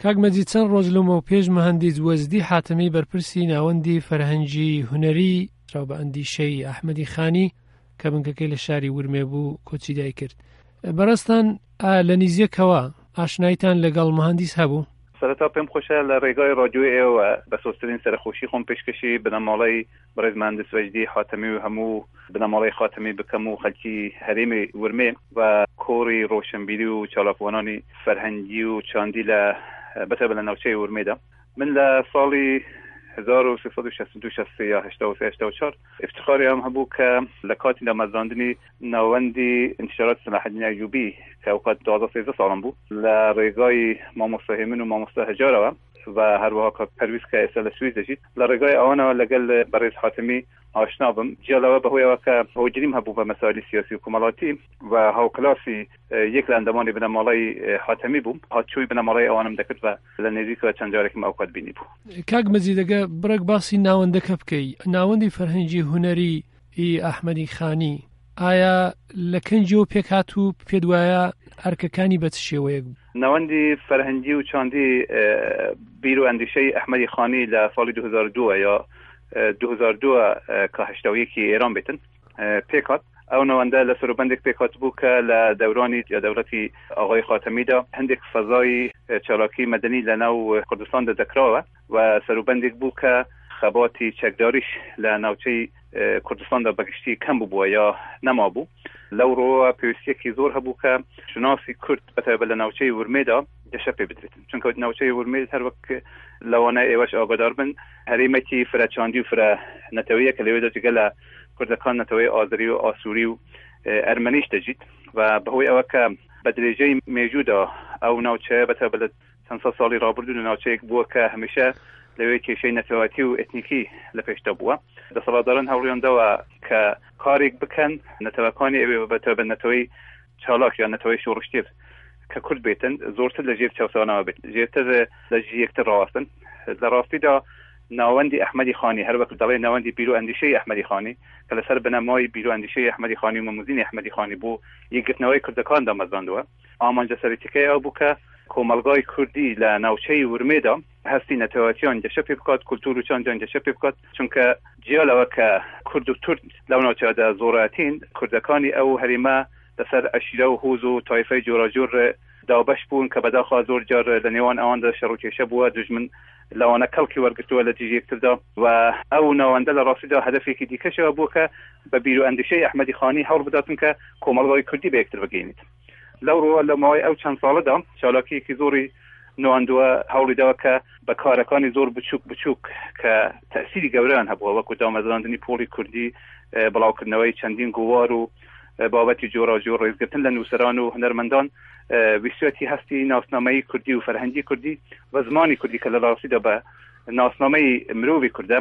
کاک مەجید چەند ڕۆژ لەمەو پێش مهندیس وەجدی حاتەمی بەرپرسی ناوەندی فەرهەنگی هونەری ناسراو بە ئەندیشەی ئەحمەدی خانی کە بنکەکەی لە شاری ورمێ بوو کۆچی دای کرد. بەڕێزتان ئایا لە نیزیەکەوە ئاشناییتان لەگەڵ مهندیس هەبوو؟ سەرەتا پێم خۆشە لە ڕێگای ڕادیۆی ئێوە بە سۆزترین سەرەخۆشی خۆم پێشکەشی بنەماڵەی بەڕێز مهندس وەجدی حاتەمی و هەموو بنەماڵەی خاتەمی بکەم و خەلکی هەرێمی ورمێ و کۆڕی ڕۆشنبیری و چالاکوانانی فەرهەنگی و چاندی لە بەتایبەت لە ناوچەی ورمێدا. من لە ساڵی 1362 63 یا 83 84 ئیفتخاری ئەوەم هەبوو کە لە کاتی دامەزراندنی ناوەندی ئینتشارات سەلاحەدین ئەیوبی کە ئەو کات 12 13 ساڵم بوو لە ڕێگای مامۆستا هێمن و مامۆستا هەژارەوە و هەروەها کاک پەرویز کە ئێستا لە سوئیس دەژیت لە ڕێگای ئەوانەوە لەگەل بەڕێز حاتەمی ئاشنا بم. جیا لەوە بەهۆی ئەوە کە هۆگریم هەبوو بە مەسایلی سیاسی و کۆمەڵاتی و هاوکلاسی یەک لە ئەندامانی بنەماڵەی حاتەمی بووم، هاتچووی بنەماڵەی ئەوانم دەکرد و لە نێزیکەوە چەند جارێکم ئەو کات بینیبوو. کاک مەجید ئەگە بڕێک باسی ناوەندەکە بکەی، ناوەندی فەرهەنگی هونەری ی ئەحمەدی خانی ئایا لە کەنگیەوە پێکهات و پێت وایە ئەرکەکانی بە چ شێوەیەک بوو؟ ناوەندی فەرهەنگی و چاندی بیر و ئەندیشەی ئەحمەدی خانی لە ساڵی 2002 یا 2002 کە 81 ئێران بێتن پێکهات. ئەو ناوەندە لە سەروبەندێک پێکهاتبوو کە لە دەورانی یا دەوڵەتی ئاغای خاتەمیدا هەندێک فەزای چالاکی مەدەنی لە ناو کوردستاندا دەکراوە و سەروبەندێک بوو کە خەباتی چەکداریش لە ناوچەی کوردستاندا بەگشتی کەم بووبووە یا نەمابوو. لەو ڕووەوە پێویستییەکی زۆر هەبوو کە شوناسی کورد بەتایبەت لە ناوچەی ورمێدا گەشە پێ بدرێتن، چونکە ناوچەی ورمێ هەر وەک لەوانە ئێوەش ئاگادار بن هەرێمێکی فرە چاندی و فرە نەتەوەیە کە لەوێدا جگە لە کوردەکان نەتەوەی ئازری و ئاسووری و ئەرمەنیش دەژیت و بەهۆی ئەوە کە بە درێژەی مێژوودا ئەو ناوچەیە بەتایبەت لە چەند سەد ساڵی ڕابردوو لە ناوچەیەک بووە کە هەمیشە لەوێ کێشەی نەتەوایەتی و ئێتنیکی لە پێشدا بووە. دەسەڵاتداران هەوڵیان داوە کە کارێک بکەن نەتەوەکانی ئەوێ بە تایبەت نەتەوەی چالاک یان نەتەوەی شۆڕشگێر کە کورد بێتن زۆرتر لە ژێر چەوسانەوە بێت، ژێرتر لە ژی یەکتر ڕاوەستن. لە ڕاستیدا ناوەندی ئەحمەدی خانی هەر وەک دەڵێ ناوەندی بیر و ئەندیشەی ئەحمەدی خانی کە لەسەر بنەمای بیر و ئەندیشەی ئەحمەدی خانی و مەموزینی ئەحمەدی خانی بۆ یەکگرتنەوەی کوردەکان دامەزراندووە. ئامانجە سەرەکیەکەی ئەو بوو کە کۆمەڵگای کوردی لە ناوچەی ورمێدا هەستی نەتەوایەتیان گەشە پێ بکات، کولتوور و چاندیان گەشە پێ بکات، چونکە جیا لەوە کە کورد و تورک لەو ناوچەیەدا زۆرایەتین، کوردەکانی ئەو هەرێمە لەسەر عەشیرە و هۆز و تایفەی جۆراجۆر دابەش بوون کە بەداخەوە زۆر جار لە نێوان ئەواندا شەڕ و کێشە بووە، دوژمن لەوانە کەڵکی وەرگرتووە لە دژی یەکتردا و ئەو ناوەندە لە ڕاستیدا هەدەفێکی دیکەشەوە بووە کە بە بیر و ئەندیشەی ئەحمەدی خانی هەوڵ بداتن کە کۆمەڵگای کوردی بە یەکتر بگەینێت. لەو ڕووە لە ماوەی ئەو چەند ساڵەدا چالاکییەکی زۆری نواندووە، هەوڵی داوە کە بە کارەکانی زۆر بچووک بچووک کە تەئسیری گەورەیان هەبووە وەکوو دامەزراندنی پۆڵی کوردی، بڵاوکردنەوەی چەندین گۆوار و بابەتی جۆراوجۆر، ڕێزگرتن لە نووسەران و هونەرمەندان، ویستویەتی هەستی ناسنامەیی کوردی و فەرهەنگی کوردی و زمانی کوردی کە لە ڕاستیدا بە ناسنامەی مرۆڤی کوردە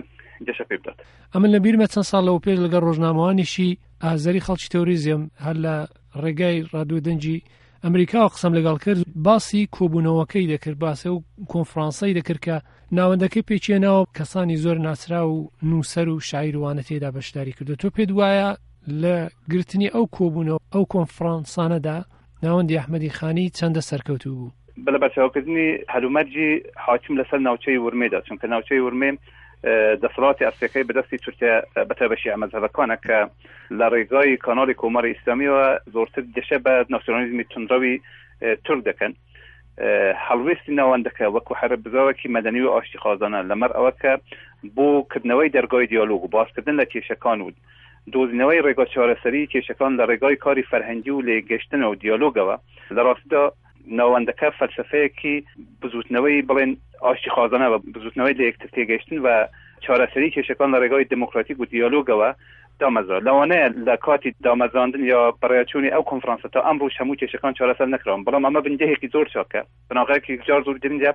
گەشە پێ بدات. ئەمن لە بیرمە چەند ساڵ لەوەپێش لەگەڵ ڕۆژنامەوانێکی ئازەری خەڵکی تەوریزێم هەر لە ڕێگای ڕادیۆ دەنگی ئەمریکاوە قسەم لەگەڵ کرد باسی کۆبوونەوەکەی دەکرد باسی ئەو کۆنفرانسەی دەکرد کە ناوەندەکەی پێکهێناوە کەسانی زۆر ناسراو و نووسەر و شاعیر وانە تێدا بەشداری کردو تۆ پێت وایە لە گرتنی ئەو کۆبوونەوە ئەو کۆنفرانسانەدا ناوەندی ئەحمەدی خانی چەندە سەرکەوتوو بوو؟ بە لەبەرچاوکردنی هەلومەرجی حاکم لەسەر ناوچەی ورمێدا، چونکە ناوچەی ورمێ دەسەڵاتی ئەسڵیەکەی بەدەستی تورکیا بەتایبەت شیعە مەزهەبەکانە کە لە ڕێگای کاناڵی کۆماری ئیسلامیەوە زۆرتر گەشە بە ناسیۆنالیزمی توندڕەوی تورک دەکەن. هەڵوێستی ناوەندەکە وەکو هەر بزاوێکی مەدەنی و ئاشتیخوازانە لەمەڕ ئەوە کە بۆ کردنەوەی دەرگای دیالۆگ و باسکردن لە کێشەکان و دۆزینەوەی ڕێگا چارەسەریی کێشەکان لە ڕێگای کاری فەرهەنگی و لێکگەشتن و دیالۆگەوە لە ڕاستیدا ناوەندەکە فەلسەفەیەکی بزووتنەوەی بڵێن ئاشتیخوازانە و بزووتنەوەی لە یەکتر تێگەیشتن و چارەسەری کێشەکان لە ڕێگای دێموکراتیک و دیالۆگەوە دامەزرا. لەوانەیە لە کاتی دامەزراندن یا بەڕێوەچوونی ئەو کۆنفرانسە تا ئەمڕۆش هەموو کێشەکان چارەسەر نەکراون، بەڵام ئەمە بنگەهێکی زۆر چاکە، بناغەیەکی یەکجار زۆر گرنگە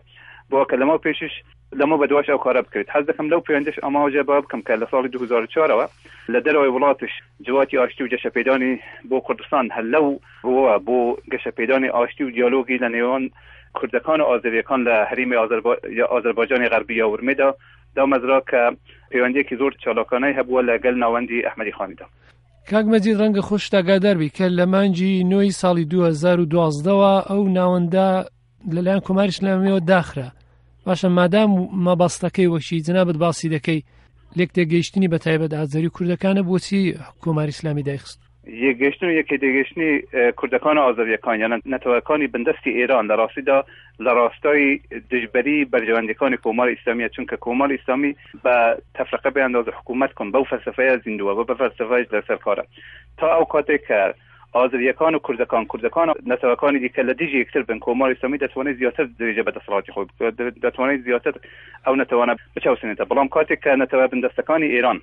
بۆ کە لەمەو پێشیش لەمەو بەدواش ئەو کارە بکرێت. حەز دەکەم لەو پەیوەندەش ئاماژە بەوە بکەم کە لە ساڵی 2004 ەوە لە دەرەوەی وڵاتش جڤاتی ئاشتی و گەشەپێدانی بۆ کوردستان هەر لەو ڕووەوە بۆ گەشەپێدانی ئاشتی و دیالۆگی لە نێوان کوردەکان و ئازەرییەکان لە هەرێمی ئازەربایجانی غەربی یا ورمێدا دامەزرا کە پەیوەندییەکی زۆر چالاکانەی هەبووە لە گەل ناوەندی ئەحمەدی خانیدا. کاک مەجید ڕەنگە خۆشت ئاگادار بی کە لە مانگی نۆی ساڵی 2012 ەوە ئەو ناوەندە لەلایەن کۆماری ئیسلامیەوە داخرا. باشە مادام مەبەستەکەی وەکی جەنابت باسی دەکەی لێک تێگەیشتنی بە تایبەت ئازەری و کوردەکانە بۆچی کۆماری ئیسلامی دایخست؟ یەکگەیشتن و یەکێتێگەیشتنی کوردەکان و ئازەرییەکان یان نەتەوەکانی بندەستی ئێران لە ڕاستیدا لە ڕاستای دژبەری بەرژەوەندیەکانی کۆماری ئیسلامیە چونکە کۆماری ئیسلامی بە تەفرقە بیانداز حکوومەت کن بەو فەلسەفەیە زیندووە و بە فەلسەفەیش لەسەر کارە تا ئەو کاتێک کە ئازرییەکان و کوردەکان، کوردەکان و نەتەوەکانی دیکە لە دژی یەکتر بن، کۆماری ئیسلامی دەتوانێت زیاتر درێژە بە دەسەڵاتی خۆی بکات، دەتوانێت زیاتر ئەو نەتەوانە بچەوسێنێتە. بەڵام کاتێک کە نەتەوە بندەستەکانی ئێران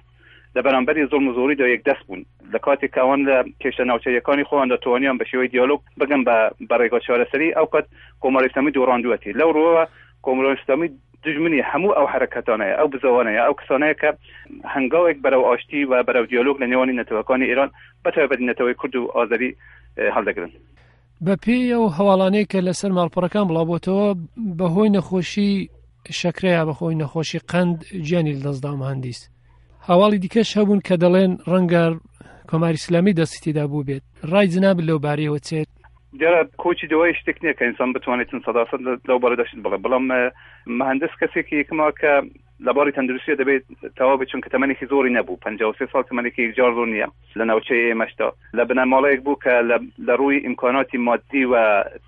لە بەرامبەری زوڵم و زۆریدا یەکدەست بوون، لە کاتێک کە ئەوان لە کێشە ناوچەییەکانی خۆیاندا توانیان بە شێوەی دیالۆگ بگەن بە بە ڕێگا چارەسەری، ئەو کات کۆماری ئیسلامی دۆڕاندووەتی. لەو ڕووەوە کۆماری ئیسلامی دوژمنی هەموو ئەو حەرەکەتانەیە، ئەو بزاوانەیە، ئەو کەسانەیە کە هەنگاوێک بەرەو ئاشتی و بەرەو دیالۆگ لە نێوانی نەتەوەکانی ئێران بە تایبەتی نەتەوەی کورد و ئازەری هەڵدەگرن. بە پێی ئەو هەواڵانەی کە لەسەر ماڵپەڕەکان بڵاوبۆتەوە بەهۆی نەخۆشی شەکرە یا بەخۆی نەخۆشی قەند گیانی لەدەستدا مهندیس. هەواڵی دیکەش هەبوون کە دەڵێن ڕەنگە کۆماری ئیسلامی دەستی تێدا بووبێت. ڕای جنابت لەو بارەیەوە چێت؟ دیارە کۆچی دوایی شتێک نییە کە ئینسان بتوانێتن سەداسەد لەو بارەدا شت بڵێ، بەڵام مهندس کەسێکی یەکەمە کە لە باری تەندروستیە دەبێت تەواو بێت چونکە تەمەنێکی زۆری نەبوو 53 ساڵ تەمەنێکی یەکجار زۆر نییە لە ناوچەی ئێمەشدا لە بنەماڵەیەک بوو کە لە ڕووی ئیمکاناتی مادی و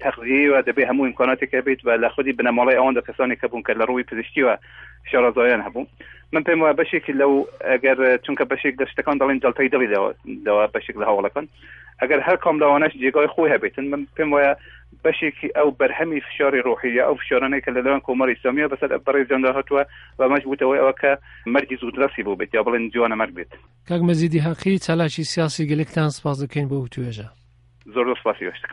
تەغزیەوە دەبێت هەموو ئیمکاناتێک هەبێت و لە خودی بنەماڵەی ئەواندا کەسانێک هەبوون کە لە ڕووی پزیشکیوە شارەزایان هەبوو من پێم وایە بەشێکی لەو ئەگەر چونکە بەشێک لە شتەکان دەڵێن جەڵتەی دڵی دەوە بەشێک لە هەوڵەکان ئەگەر هەر کام لەوانەش جێگای خۆی هەبێتن من پێم وایە بەشێکی ئەو بەرهەمی فشاری ڕۆحی یا ئەو فشارانەی کە لەلایەن کۆماری ئیسلامییەوە بەسەر بەڕێزیاندا هاتووە و ئەمەش بووتە هۆی ئەوە کە مەرگی زوودڕەسی بووبێت یا بڵێن جوانە مەرگ بێت. کاک مەجیدی هەقی، چالاکی سیاسی گەلێکتان سپاس دەکەین بۆ وتوێژە. زۆر زۆر سپاسی ئێوەش دەکەم.